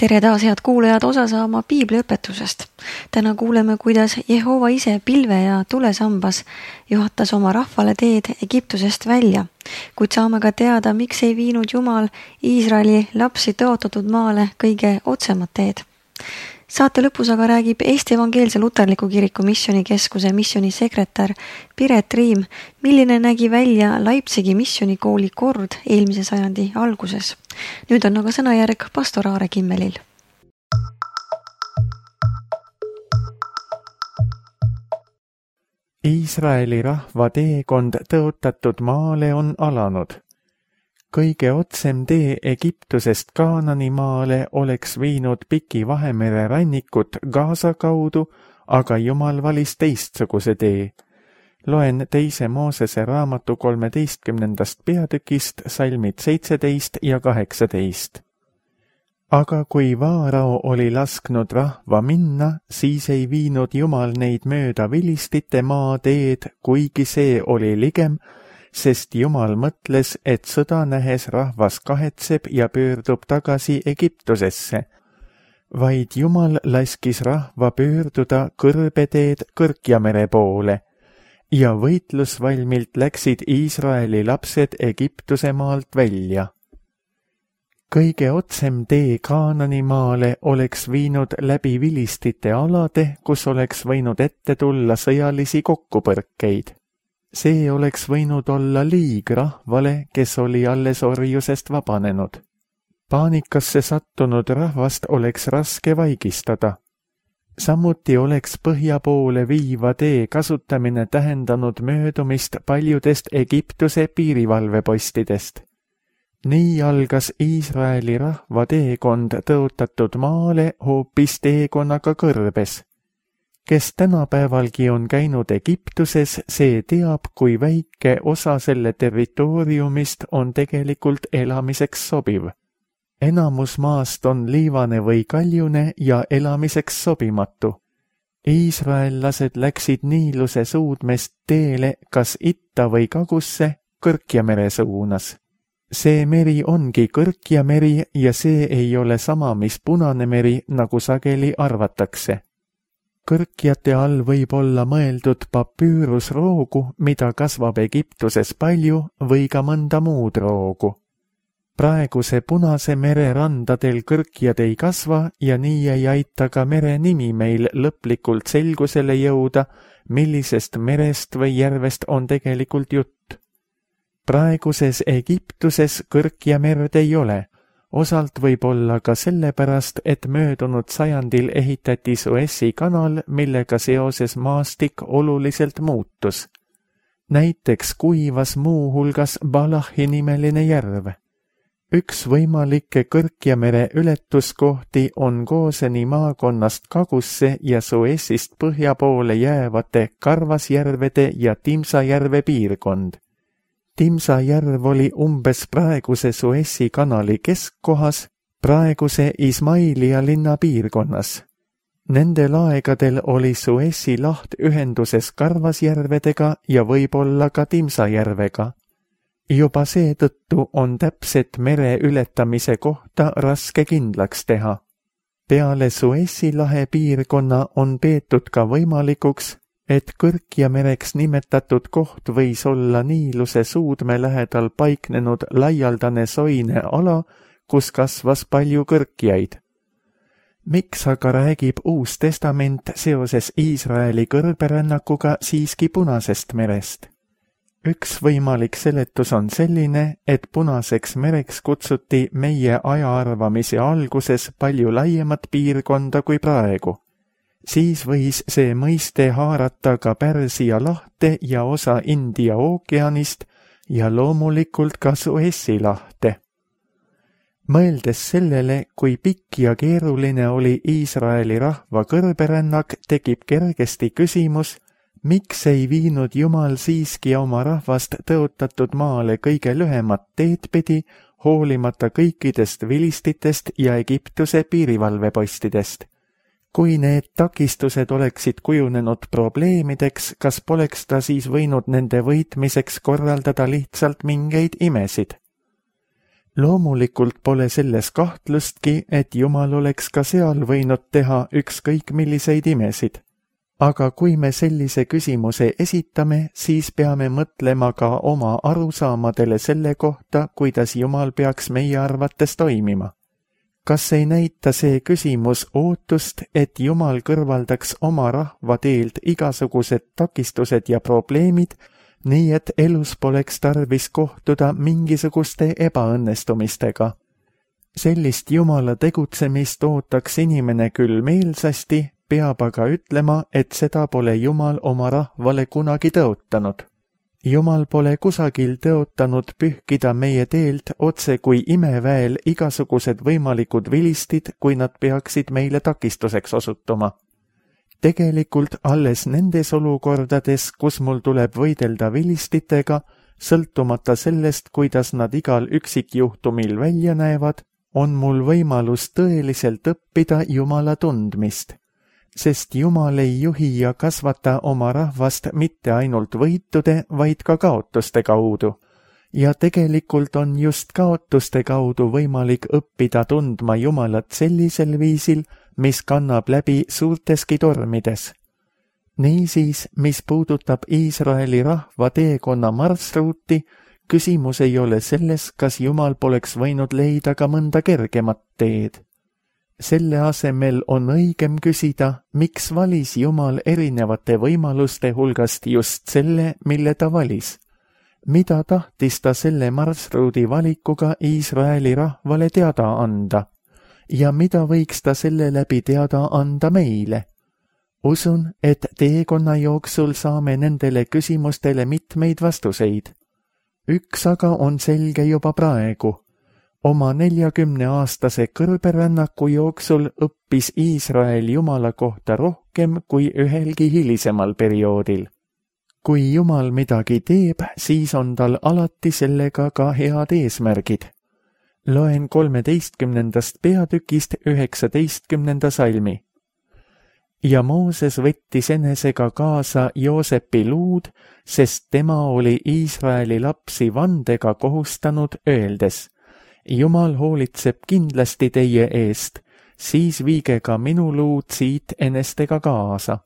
Tere taas, head kuulajad, osa saama piibliõpetusest. Täna kuuleme, kuidas Jehova ise pilve ja tulesambas juhatas oma rahvale teed Egiptusest välja, kuid saame ka teada, miks ei viinud Jumal Iisraeli lapsi tõotatud maale kõige otsemat teed. Saate lõpus aga räägib Eesti Evangeelse Luterliku Kiriku missionikeskuse missionisekretär Piret Riim, milline nägi välja Leipzigi missionikooli kord eelmise sajandi alguses. Nüüd on aga sõnajärg pastor Aare Kimmelil. Iisraeli rahva teekond tõotatud maale on alanud. Kõige otsem tee Egiptusest Kaanani maale oleks viinud Piki Vahemere rannikut Gaza kaudu, aga Jumal valis teistsuguse tee. Loen 2. Moosese raamatu 13. peatükist salmid 17 ja 18. Aga kui Vaarao oli lasknud rahva minna, siis ei viinud Jumal neid mööda vilistite maa teed, kuigi see oli ligem, sest Jumal mõtles, et sõda nähes rahvas kahetseb ja pöördub tagasi Egiptusesse. Vaid Jumal laskis rahva pöörduda kõrbeteed Kõrkjamere poole ja võitlusvalmilt läksid Iisraeli lapsed Egiptuse maalt välja. Kõige otsem tee Kaanani maale oleks viinud läbi vilistite alade, kus oleks võinud ette tulla sõjalisi kokkupõrkeid. See oleks võinud olla liig rahvale, kes oli alles orjusest vabanenud. Paanikasse sattunud rahvast oleks raske vaigistada. Samuti oleks põhja poole viiva tee kasutamine tähendanud möödumist paljudest Egiptuse piirivalvepostidest. Nii algas Iisraeli rahva teekond tõotatud maale hoopis teekonnaga kõrbes. Kes tänapäevalgi on käinud Egiptuses, see teab, kui väike osa selle territooriumist on tegelikult elamiseks sobiv. Enamus maast on liivane või kaljune ja elamiseks sobimatu. Iisraellased läksid Niiluse suudmest teele kas itta või kagusse Kõrkjamere suunas. See meri ongi Kõrkjameri ja see ei ole sama, mis Punane meri, nagu sageli arvatakse. Kõrkjate all võib olla mõeldud papüürusroogu, mida kasvab Egiptuses palju, või ka mõnda muud roogu. Praeguse Punase mere randadel kõrkjad ei kasva ja nii ei aita ka mere nimi meil lõplikult selgusele jõuda, millisest merest või järvest on tegelikult jutt. Praeguses Egiptuses Kõrkjamerd ei ole. Osalt võib olla ka sellepärast, et möödunud sajandil ehitati Suessi kanal, millega seoses maastik oluliselt muutus. Näiteks kuivas muu hulgas Balahi nimeline järv. Üks võimalikke Kõrkjamere ületuskohti on Gooseni maakonnast kagusse ja Suessist põhja poole jäävate Karvasjärvede ja Timsajärve piirkond. Timsa järv oli umbes praeguse Suessi kanali keskkohas, praeguse Ismailia linna piirkonnas. Nendel aegadel oli Suessi laht ühenduses Karvasjärvedega ja võib-olla ka Timsajärvega. Juba seetõttu on täpset mere ületamise kohta raske kindlaks teha. Peale Suessi lahe piirkonna on peetud ka võimalikuks, et Kõrkjamereks nimetatud koht võis olla Niiluse suudme lähedal paiknenud laialdane soine ala, kus kasvas palju kõrkjaid. Miks aga räägib Uus Testament seoses Iisraeli kõrberännakuga siiski Punasest merest? Üks võimalik seletus on selline, et Punaseks mereks kutsuti meie ajaarvamise alguses palju laiemat piirkonda kui praegu. Siis võis see mõiste haarata ka Pärsia lahte ja osa India ookeanist ja loomulikult ka Suessi lahte. Mõeldes sellele, kui pikk ja keeruline oli Iisraeli rahva kõrberännak, tekib kergesti küsimus, miks ei viinud Jumal siiski oma rahvast tõotatud maale kõige lühemat teed pidi, hoolimata kõikidest vilistitest ja Egiptuse piirivalvepostidest. Kui need takistused oleksid kujunenud probleemideks, kas poleks ta siis võinud nende võitmiseks korraldada lihtsalt mingeid imesid? Loomulikult pole selles kahtlustki, et Jumal oleks ka seal võinud teha ükskõik milliseid imesid. Aga kui me sellise küsimuse esitame, siis peame mõtlema ka oma arusaamadele selle kohta, kuidas Jumal peaks meie arvates toimima. Kas ei näita see küsimus ootust, et Jumal kõrvaldaks oma rahva teelt igasugused takistused ja probleemid, nii et elus poleks tarvis kohtuda mingisuguste ebaõnnestumistega? Sellist Jumala tegutsemist ootaks inimene küll meelsasti, peab aga ütlema, et seda pole Jumal oma rahvale kunagi tõotanud. Jumal pole kusagil tõotanud pühkida meie teelt otse kui imeväel igasugused võimalikud vilistid, kui nad peaksid meile takistuseks osutuma. Tegelikult alles nendes olukordades, kus mul tuleb võidelda vilistitega, sõltumata sellest, kuidas nad igal üksikjuhtumil välja näevad, on mul võimalus tõeliselt õppida Jumala tundmist. Sest Jumal ei juhi ja kasvata oma rahvast mitte ainult võitude, vaid ka kaotuste kaudu. Ja tegelikult on just kaotuste kaudu võimalik õppida tundma Jumalat sellisel viisil, mis kannab läbi suurteski tormides. Niisiis, mis puudutab Iisraeli rahva teekonna marsruuti, küsimus ei ole selles, kas Jumal poleks võinud leida ka mõnda kergemat teed. Selle asemel on õigem küsida, miks valis Jumal erinevate võimaluste hulgast just selle, mille ta valis. Mida tahtis ta selle marsruudi valikuga Iisraeli rahvale teada anda? Ja mida võiks ta selle läbi teada anda meile? Usun, et teekonna jooksul saame nendele küsimustele mitmeid vastuseid. Üks aga on selge juba praegu. Oma 40-aastase kõrberännaku jooksul õppis Iisrael Jumala kohta rohkem kui ühelgi hilisemal perioodil. Kui Jumal midagi teeb, siis on tal alati sellega ka head eesmärgid. Loen 13. peatükist 19. salmi. Ja Mooses võttis enesega kaasa Joosepi luud, sest tema oli Iisraeli lapsi vandega kohustanud, öeldes: Jumal hoolitseb kindlasti teie eest, siis viige ka minu luud siit enestega kaasa.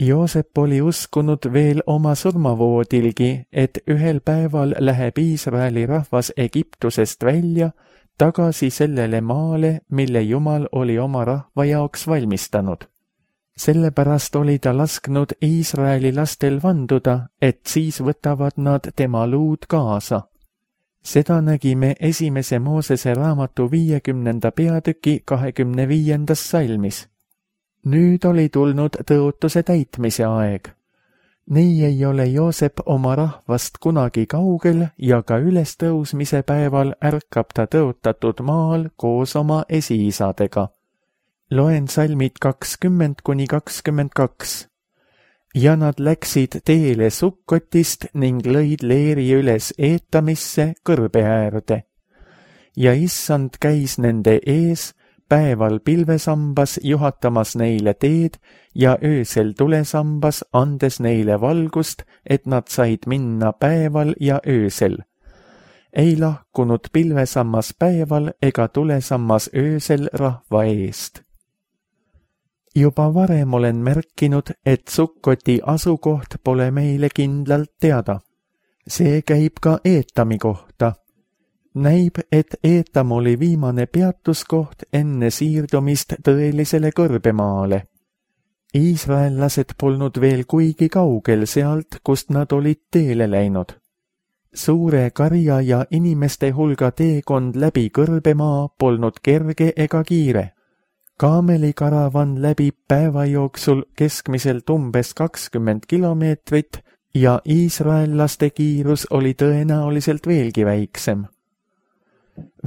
Joosep oli uskunud veel oma surmavoodilgi, et ühel päeval läheb Iisraeli rahvas Egiptusest välja, tagasi sellele maale, mille Jumal oli oma rahva jaoks valmistanud. Sellepärast oli ta lasknud Iisraeli lastel vanduda, et siis võtavad nad tema luud kaasa. Seda nägime 1. Moosese raamatu 50. peatüki 25. salmis. Nüüd oli tulnud tõotuse täitmise aeg. Nii ei ole Joosep oma rahvast kunagi kaugel ja ka ülestõusmise päeval ärkab ta tõotatud maal koos oma esiisadega. Loen salmid 20–22. Ja nad läksid teele Sukkotist ning lõid leeri üles Eetamisse kõrbe äärde. Ja issand käis nende ees, päeval pilvesambas juhatamas neile teed ja öösel tulesambas andes neile valgust, et nad said minna päeval ja öösel. Ei lahkunud pilvesammas päeval ega tulesammas öösel rahva eest. Juba varem olen märkinud, et Sukkoti asukoht pole meile kindlalt teada. See käib ka Eetami kohta. Näib, et Eetam oli viimane peatuskoht enne siirdumist tõelisele kõrbemaale. Iisraellased polnud veel kuigi kaugel sealt, kust nad olid teele läinud. Suure karja ja inimeste hulga teekond läbi kõrbemaa polnud kerge ega kiire. Kaamelikaravan läbib päeva jooksul keskmiselt umbes 20 kilomeetrit ja iisraellaste kiirus oli tõenäoliselt veelgi väiksem.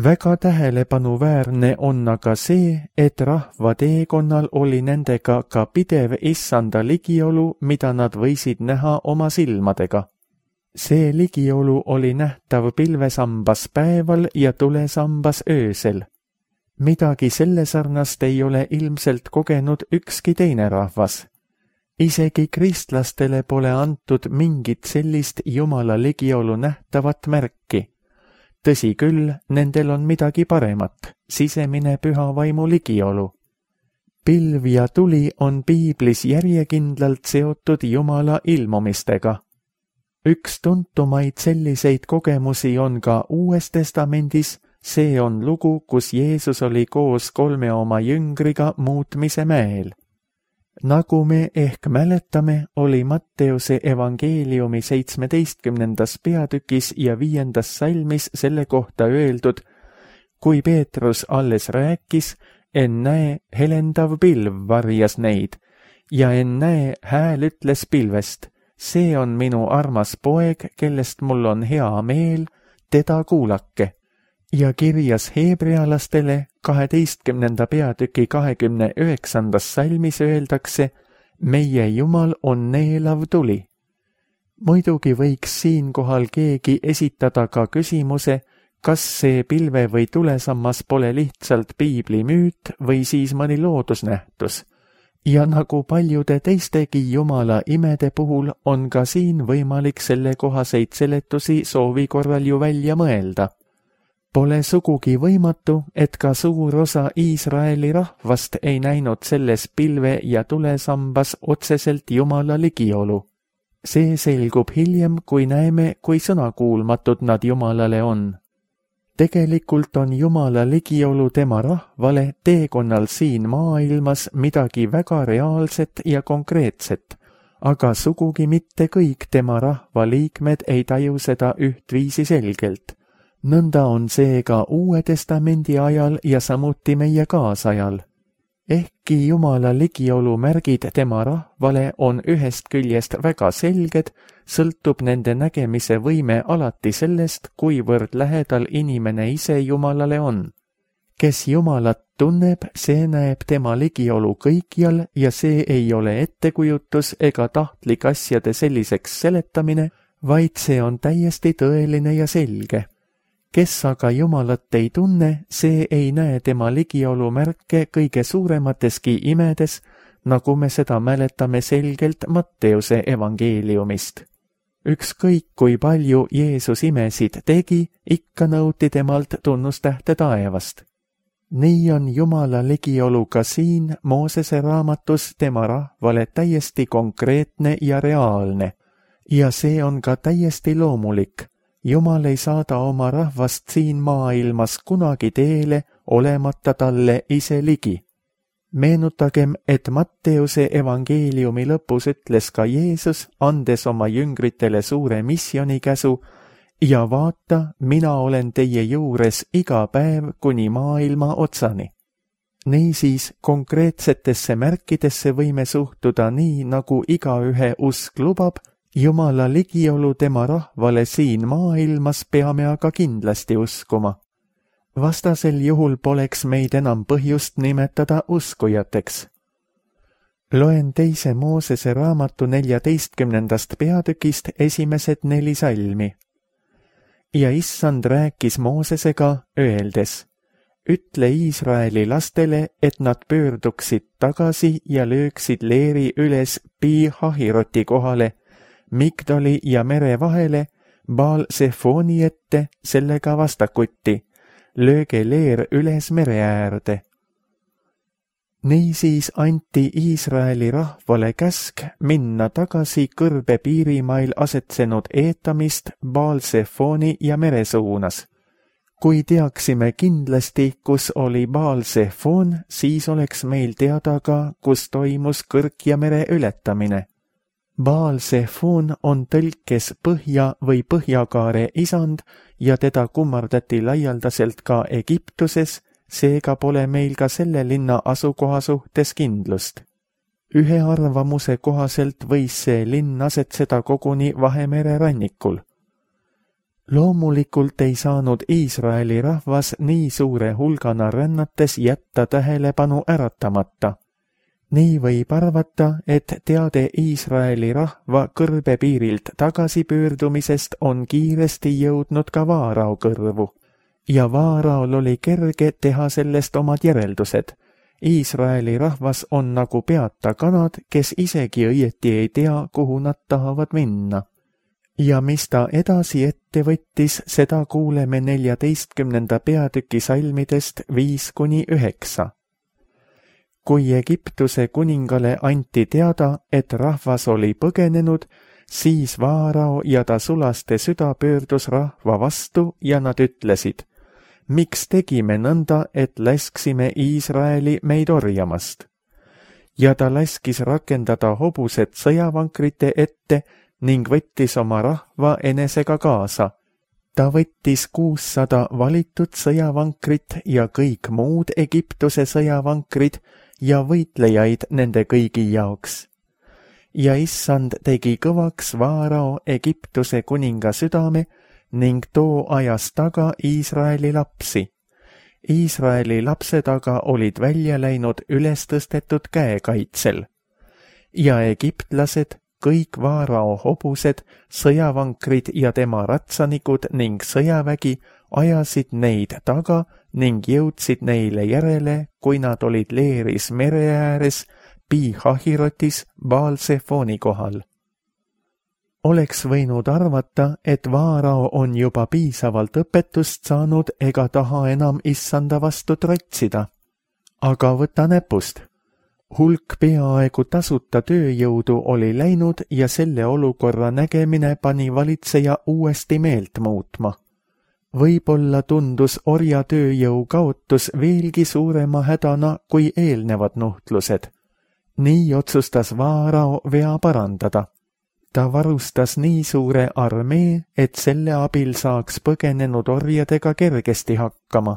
Väga tähelepanuväärne on aga see, et rahva teekonnal oli nendega ka pidev issanda ligiolu, mida nad võisid näha oma silmadega. See ligiolu oli nähtav pilvesambas päeval ja tulesambas öösel. Midagi selle sarnast ei ole ilmselt kogenud ükski teine rahvas. Isegi kristlastele pole antud mingit sellist Jumala ligiolu nähtavat märki. Tõsi küll, nendel on midagi paremat, sisemine püha vaimu ligiolu. Pilv ja tuli on piiblis järjekindlalt seotud Jumala ilmumistega. Üks tuntumaid selliseid kogemusi on ka Uues Testamendis, see on lugu, kus Jeesus oli koos 3 oma jüngriga muutmise mäel. Nagu me ehk mäletame, oli Matteuse evangeeliumi 17. peatükis ja 5. salmis selle kohta öeldud, kui Peetrus alles rääkis, ennäe helendav pilv varjas neid ja ennäe hääl ütles pilvest, see on minu armas poeg, kellest mul on hea meel, teda kuulake. Ja kirjas heebrealastele 12. peatüki 29. salmis öeldakse, meie Jumal on neelav tuli. Muidugi võiks siinkohal keegi esitada ka küsimuse, kas see pilve või tulesammas pole lihtsalt piibli müüt või siis mõni loodusnähtus. Ja nagu paljude teistegi Jumala imede puhul on ka siin võimalik sellekohaseid seletusi soovi korral ju välja mõelda. Pole sugugi võimatu, et ka suur osa Iisraeli rahvast ei näinud selles pilve ja tulesambas otseselt Jumala ligiolu. See selgub hiljem, kui näeme, kui sõnakuulmatud nad Jumalale on. Tegelikult on Jumala ligiolu tema rahvale teekonnal siin maailmas midagi väga reaalset ja konkreetset, aga sugugi mitte kõik tema rahva liikmed ei taju seda ühtviisi selgelt. Nõnda on see ka Uue Testamendi ajal ja samuti meie kaasajal. Ehkki Jumala ligiolu märgid tema rahvale on ühest küljest väga selged, sõltub nende nägemise võime alati sellest, kuivõrd lähedal inimene ise Jumalale on. Kes Jumalat tunneb, see näeb tema ligiolu kõikjal ja see ei ole ettekujutus ega tahtlik asjade selliseks seletamine, vaid see on täiesti tõeline ja selge. Kes aga Jumalat ei tunne, see ei näe tema ligiolu märke kõige suuremateski imedes, nagu me seda mäletame selgelt Matteuse evangeeliumist. Ükskõik kui palju Jeesus imesid tegi, ikka nõuti temalt tunnustähte taevast. Nii on Jumala ligiolu ka siin Moosese raamatus tema rahvale täiesti konkreetne ja reaalne. Ja see on ka täiesti loomulik. Jumal ei saada oma rahvast siin maailmas kunagi teele, olemata talle ise ligi. Meenutagem, et Matteuse evangeeliumi lõpus ütles ka Jeesus, andes oma jüngritele suure missionikäsu, ja vaata, mina olen teie juures iga päev kuni maailma otsani. Niisiis, konkreetsetesse märkidesse võime suhtuda nii, nagu igaühe usk lubab, Jumala ligiolu tema rahvale siin maailmas peame aga kindlasti uskuma. Vastasel juhul poleks meid enam põhjust nimetada uskujateks. Loen 2. Moosese raamatu 14. peatükist esimesed 4 salmi. Ja issand rääkis Moosesega, öeldes, ütle Iisraeli lastele, et nad pöörduksid tagasi ja lööksid leeri üles Pi-Hahiroti kohale, Migdoli ja mere vahele, Baal-Sefoni ette, sellega vastakuti, lööge leer üles mere äärde. Niisiis anti Iisraeli rahvale käsk minna tagasi kõrbe piirimail asetsenud Eetamist Baal-Sefoni ja mere suunas. Kui teaksime kindlasti, kus oli Baal-Sefon, siis oleks meil teada ka, kus toimus kõrk ja mere ületamine. Baal-Sefon on tõlkes põhja või põhjakaare isand ja teda kummardati laialdaselt ka Egiptuses, seega pole meil ka selle linna asukoha suhtes kindlust. Ühe arvamuse kohaselt võis see linn asetseda koguni Vahemere rannikul. Loomulikult ei saanud Iisraeli rahvas nii suure hulgana rännates jätta tähelepanu äratamata. Nii võib arvata, et teade Iisraeli rahva kõrbepiirilt tagasipöördumisest on kiiresti jõudnud ka Vaarao kõrvu. Ja Vaaraol oli kerge teha sellest omad järeldused. Iisraeli rahvas on nagu peata kanad, kes isegi õieti ei tea, kuhu nad tahavad minna. ja mis ta edasi ette võttis, seda kuuleme 14. peatüki salmidest 5-9. Kui Egiptuse kuningale anti teada, et rahvas oli põgenenud, siis Vaarao ja ta sulaste süda pöördus rahva vastu ja nad ütlesid, miks tegime nõnda, et lasksime Iisraeli meid orjamast? Ja ta laskis rakendada hobused sõjavankrite ette ning võttis oma rahva enesega kaasa. Ta võttis 600 valitud sõjavankrit ja kõik muud Egiptuse sõjavankrid ja võitlejaid nende kõigi jaoks. Ja issand tegi kõvaks Vaarao Egiptuse kuninga südame ning too ajas taga Iisraeli lapsi. Iisraeli lapsed aga olid välja läinud ülestõstetud käekaitsel. Ja egiptlased, kõik Vaarao hobused, sõjavankrid ja tema ratsanikud ning sõjavägi ajasid neid taga ning jõudsid neile järele, kui nad olid leeris mere ääres, Pi-Hahirotis, Baal-Sefoni kohal. Oleks võinud arvata, et Vaarao on juba piisavalt õpetust saanud ega taha enam issanda vastu trotsida. Aga võta näpust. Hulk peaaegu tasuta tööjõudu oli läinud ja selle olukorra nägemine pani valitseja uuesti meelt muutma. Võib-olla tundus orja tööjõu kaotus veelgi suurema hädana kui eelnevad nuhtlused. Nii otsustas Vaarao vea parandada. Ta varustas nii suure armee, et selle abil saaks põgenenud orjadega kergesti hakkama.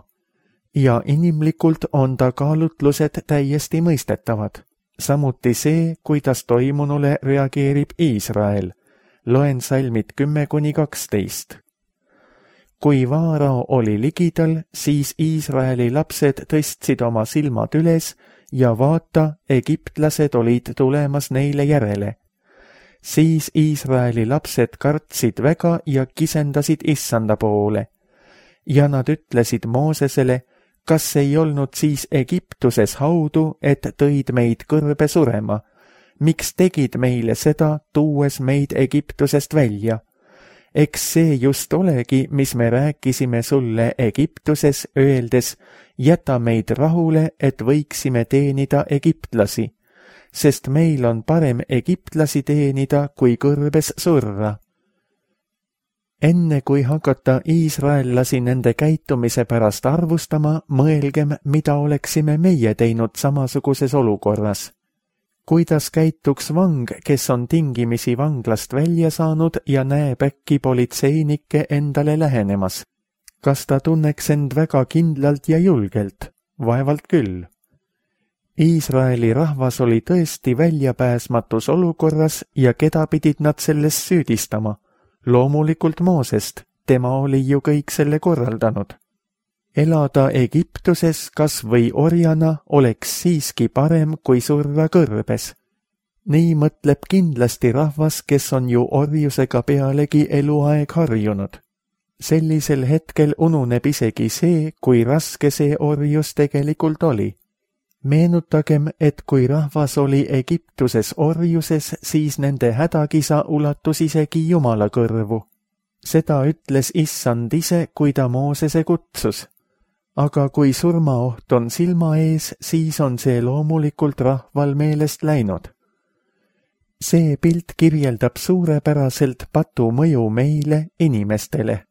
Ja inimlikult on ta kaalutlused täiesti mõistetavad. Samuti see, kuidas toimunule reageerib Iisrael. Loen salmid 10-12. Kui Vaarao oli ligidal, siis Iisraeli lapsed tõstsid oma silmad üles ja vaata, egiptlased olid tulemas neile järele. Siis Iisraeli lapsed kartsid väga ja kisendasid issanda poole. Ja nad ütlesid Moosesele, kas ei olnud siis Egiptuses haudu, et tõid meid kõrbe surema? Miks tegid meile seda, tuues meid Egiptusest välja? Eks see just olegi, mis me rääkisime sulle Egiptuses, öeldes, jäta meid rahule, et võiksime teenida egiptlasi, sest meil on parem egiptlasi teenida, kui kõrbes surra. Enne kui hakata iisraellasi nende käitumise pärast arvustama, mõelgem, mida oleksime meie teinud samasuguses olukorras. Kuidas käituks vang, kes on tingimisi vanglast välja saanud ja näeb äkki politseinikke endale lähenemas? Kas ta tunneks end väga kindlalt ja julgelt? Vaevalt küll. Iisraeli rahvas oli tõesti väljapääsmatus olukorras ja keda pidid nad selles süüdistama? Loomulikult Moosest, tema oli ju kõik selle korraldanud. Elada Egiptuses kas või orjana oleks siiski parem kui surra kõrbes. Nii mõtleb kindlasti rahvas, kes on ju orjusega pealegi eluaeg harjunud. Sellisel hetkel ununeb isegi see, kui raske see orjus tegelikult oli. Meenutagem, et kui rahvas oli Egiptuses orjuses, siis nende hädakisa ulatus isegi Jumala kõrvu. Seda ütles issand ise, kui ta Moosese kutsus. Aga kui surmaoht on silma ees, siis on see loomulikult rahval meelest läinud. See pilt kirjeldab suurepäraselt patu mõju meile, inimestele.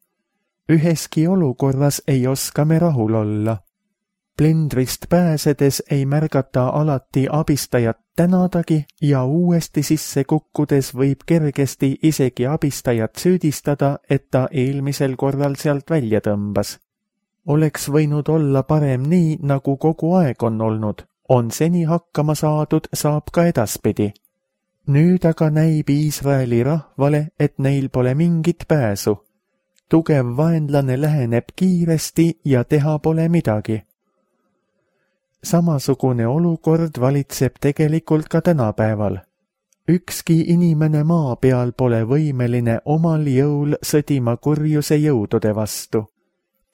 Üheski olukorras ei oska me rahul olla. Plindrist pääsedes ei märgata alati abistajat tänadagi ja uuesti sisse kukkudes võib kergesti isegi abistajat süüdistada, et ta eelmisel korral sealt välja tõmbas. Oleks võinud olla parem nii, nagu kogu aeg on olnud. On seni hakkama saadud, saab ka edaspidi. Nüüd aga näib Iisraeli rahvale, et neil pole mingit pääsu. Tugev vaenlane läheneb kiiresti ja teha pole midagi. Samasugune olukord valitseb tegelikult ka tänapäeval. Ükski inimene maa peal pole võimeline omal jõul sõdima kurjuse jõudude vastu.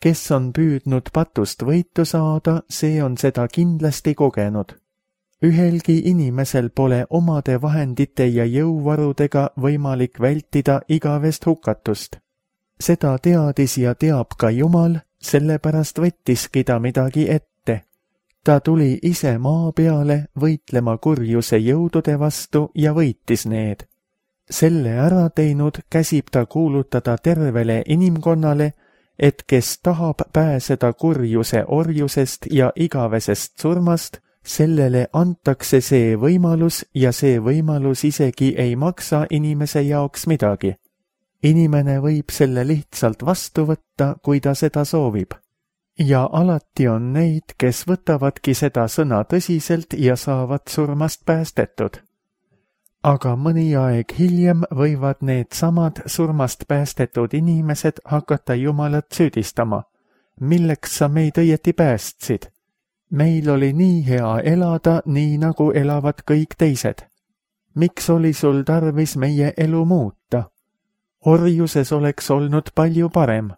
Kes on püüdnud patust võitu saada, see on seda kindlasti kogenud. Ühelgi inimesel pole omade vahendite ja jõuvarudega võimalik vältida igavest hukatust. Seda teadis ja teab ka Jumal, sellepärast võttiski ta midagi ette. Ta tuli ise maa peale võitlema kurjuse jõudude vastu ja võitis need. Selle ära teinud käsib ta kuulutada tervele inimkonnale, et kes tahab pääseda kurjuse orjusest ja igavesest surmast, sellele antakse see võimalus ja see võimalus isegi ei maksa inimese jaoks midagi. Inimene võib selle lihtsalt vastu võtta, kui ta seda soovib. Ja alati on neid, kes võtavadki seda sõna tõsiselt ja saavad surmast päästetud. Aga mõni aeg hiljem võivad need samad surmast päästetud inimesed hakata Jumalat süüdistama. Milleks sa meid õieti päästsid? Meil oli nii hea elada, nii nagu elavad kõik teised. Miks oli sul tarvis meie elu muuta? Orjuses oleks olnud palju parem.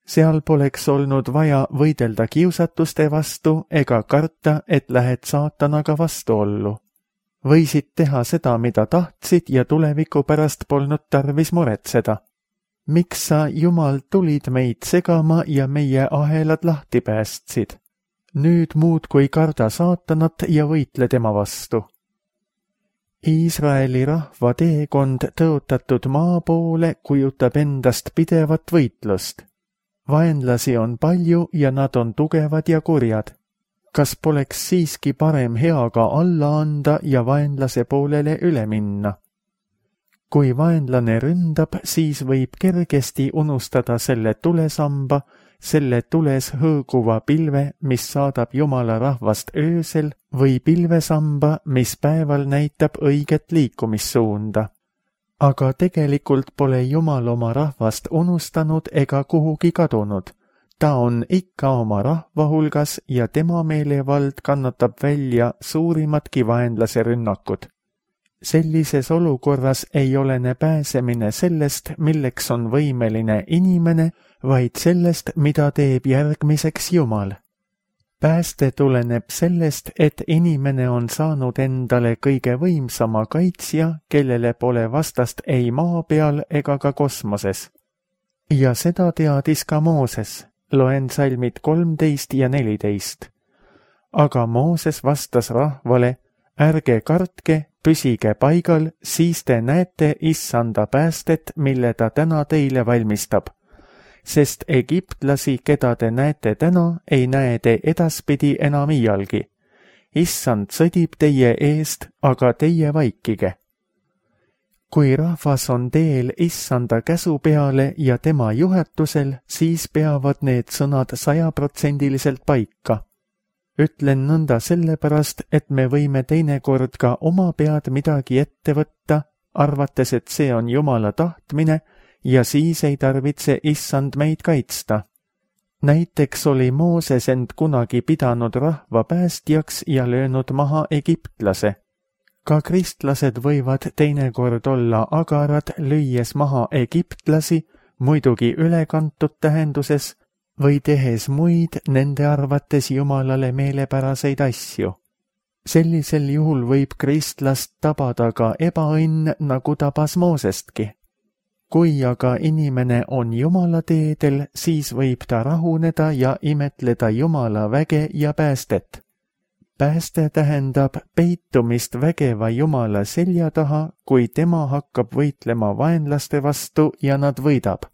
Seal poleks olnud vaja võidelda kiusatuste vastu ega karta, et lähed saatanaga vastuollu. Võisid teha seda, mida tahtsid ja tuleviku pärast polnud tarvis muretseda. Miks sa, Jumal, tulid meid segama ja meie ahelad lahti päästsid? Nüüd muudkui karda saatanat ja võitle tema vastu. Iisraeli rahva teekond tõotatud maa poole kujutab endast pidevat võitlust. Vaenlasi on palju ja nad on tugevad ja kurjad. Kas poleks siiski parem heaga alla anda ja vaenlase poolele üle minna? Kui vaenlane ründab, siis võib kergesti unustada selle tulesamba, selle tules hõõguva pilve, mis saadab Jumala rahvast öösel, või pilvesamba, mis päeval näitab õiget liikumissuunda. Aga tegelikult pole Jumal oma rahvast unustanud ega kuhugi kadunud. Ta on ikka oma rahva hulgas ja tema meelevald kannatab välja suurimatki vaenlase rünnakud. Sellises olukorras ei olene pääsemine sellest, milleks on võimeline inimene, vaid sellest, mida teeb järgmiseks Jumal. Pääste tuleneb sellest, et inimene on saanud endale kõige võimsama kaitsja, kellele pole vastast ei maa peal ega ka kosmoses. Ja seda teadis ka Mooses. Loen salmid 13 ja 14. Aga Mooses vastas rahvale, ärge kartke, püsige paigal, siis te näete Issanda päästet, mille ta täna teile valmistab. Sest egiptlasi, keda te näete täna, ei näe te edaspidi enam iialgi. Issand sõdib teie eest, aga teie vaikige. Kui rahvas on teel Issanda käsu peale ja tema juhatusel, siis peavad need sõnad 100% paika. Ütlen nõnda sellepärast, et me võime teinekord ka oma pead midagi ette võtta, arvates, et see on Jumala tahtmine ja siis ei tarvitse Issand meid kaitsta. Näiteks oli Mooses end kunagi pidanud rahva päästjaks ja löönud maha egiptlase. Ka kristlased võivad teinekord olla agarad, lüües maha egiptlasi, muidugi ülekantud tähenduses, või tehes muid nende arvates Jumalale meelepäraseid asju. Sellisel juhul võib kristlast tabada ka ebaõnn, nagu tabas Moosestki. Kui aga inimene on Jumala teedel, siis võib ta rahuneda ja imetleda Jumala väge ja päästet. Pääste tähendab peitumist vägeva Jumala selja taha, kui tema hakkab võitlema vaenlaste vastu ja nad võidab.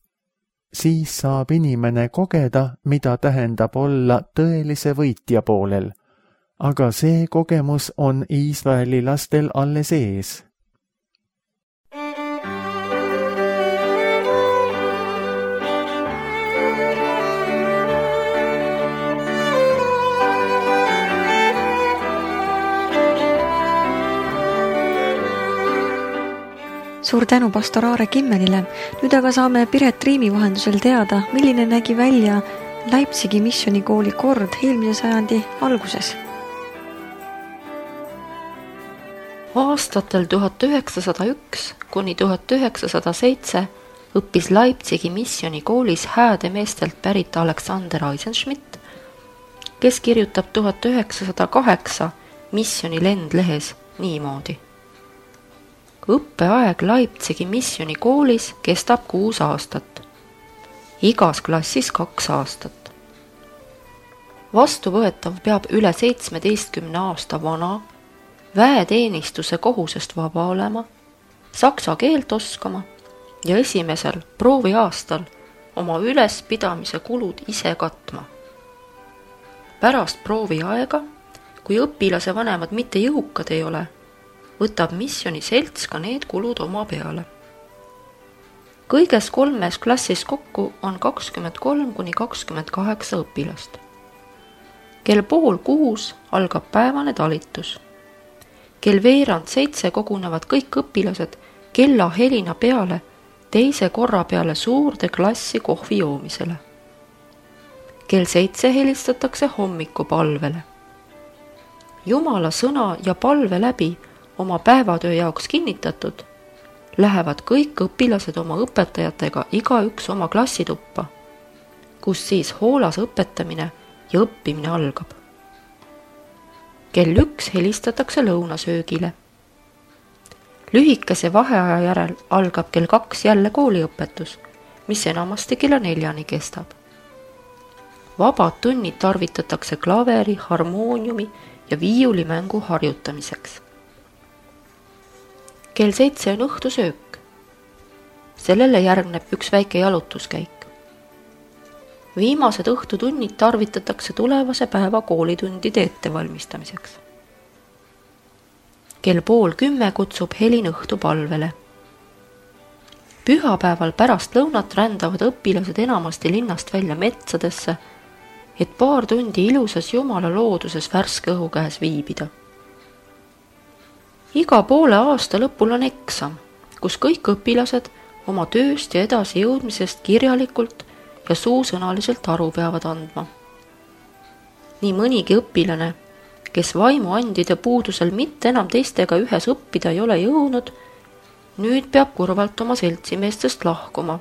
Siis saab inimene kogeda, mida tähendab olla tõelise võitja poolel. Aga see kogemus on Iisraeli lastel alles ees. Suur tänu pastor Aare Kimmelile. Nüüd aga saame Piret Riimi vahendusel teada, milline nägi välja Leipzigi missionikooli kord eelmise sajandi alguses. Aastatel 1901 kuni 1907 õppis Leipzigi missionikoolis hääde meestelt pärit Alexander Eisenschmidt, kes kirjutab 1908 Missioni lendlehes niimoodi. Õppeaeg Leipzigi missionikoolis kestab 6 aastat. Igas klassis 2 aastat. Vastuvõetav peab üle 17 aasta vana, väeteenistuse kohusest vaba olema, saksa keelt oskama ja esimesel prooviaastal oma ülespidamise kulud ise katma. Pärast prooviaega, kui õpilase vanemad mitte jõukad ei ole, võtab missioni selts ka need kulud oma peale. Kõiges 3 klassis kokku on 23–28 õpilast. Kell 5:30 algab päevane talitus. Kell 6:45 kogunevad kõik õpilased kella helina peale teise korra peale suurde klassi kohvi joomisele. Kell 7 helistatakse hommikupalvele. Jumala sõna ja palve läbi oma päevatöö jaoks kinnitatud, lähevad kõik õpilased oma õpetajatega igaüks oma klassituppa, kus siis hoolas õpetamine ja õppimine algab. Kell 1 helistatakse lõunasöögile. Lühikese vaheaja järel algab kell 2 jälle kooliõpetus, mis enamasti kella 4 kestab. Vabad tunnid tarvitatakse klaveri, harmooniumi ja viiulimängu harjutamiseks. Kell 7 on õhtusöök. Sellele järgneb üks väike jalutuskäik. Viimased õhtutunnid tarvitatakse tulevase päeva koolitundide ettevalmistamiseks. Kell 9:30 kutsub helin õhtupalvele. Pühapäeval pärast lõunat rändavad õpilased enamasti linnast välja metsadesse, et paar tundi ilusas Jumala looduses värske õhu käes viibida. Iga poole aasta lõpul on eksam, kus kõik õpilased oma tööst ja edasi jõudmisest kirjalikult ja suusõnaliselt aru peavad andma. Nii mõnigi õpilane, kes vaimuandide puudusel mitte enam teistega ühes õppida ei ole jõudnud, nüüd peab kurvalt oma seltsimeestest lahkuma,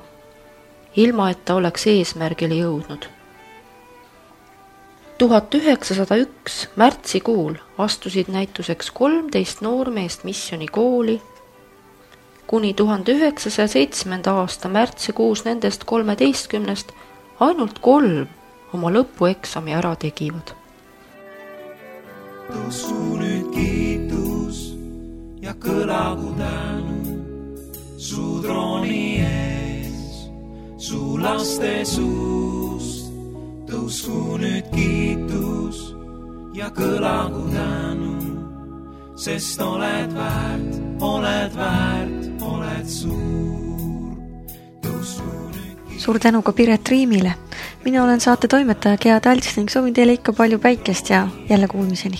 ilma et ta oleks eesmärgile jõudnud. 1901 märtsikuul astusid näituseks 13 noormeest missionikooli, kuni 1907. aasta märtsikuus nendest 13 ainult 3 oma lõpueksami ära tegivad. Tõusku nüüd kiitus ja kõlagu tänu su trooni ees, su laste suust. Tõusku nüüd kiitus ja kõlagu tänu, sest oled väärt, oled suur. Suur tänu ka Piret Riimile. Mina olen saate toimetaja Gea Talts ning soovin teile ikka palju päikest ja jälle kuulmiseni.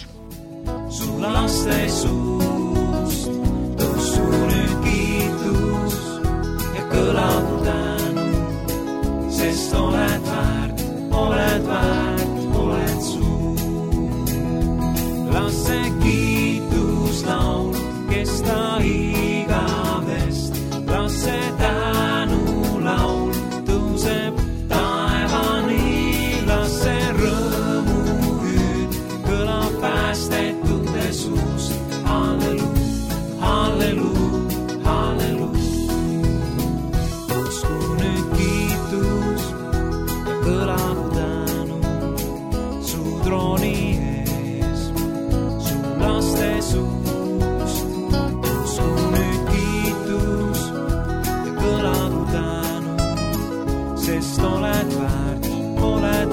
Su laste suust, tõusku nüüd kiitus ja kõlagu tänu, sest oled väärt, oled suur. Las see kiituslaul kesta igavest, las see tänulaul tõuseb taevani, las see rõõmuhüüd kõlab päästetute suust. Halleluu, halleluu, halleluu. Tõusku nüüd kiitus ja kõlab tänu su trooni ees, su laste suust. Tõusku nüüd kiitus ja kõlab tänu, sest oled väärt, oled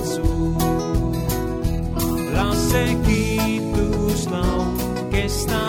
suur. Las see kiituslaul kesta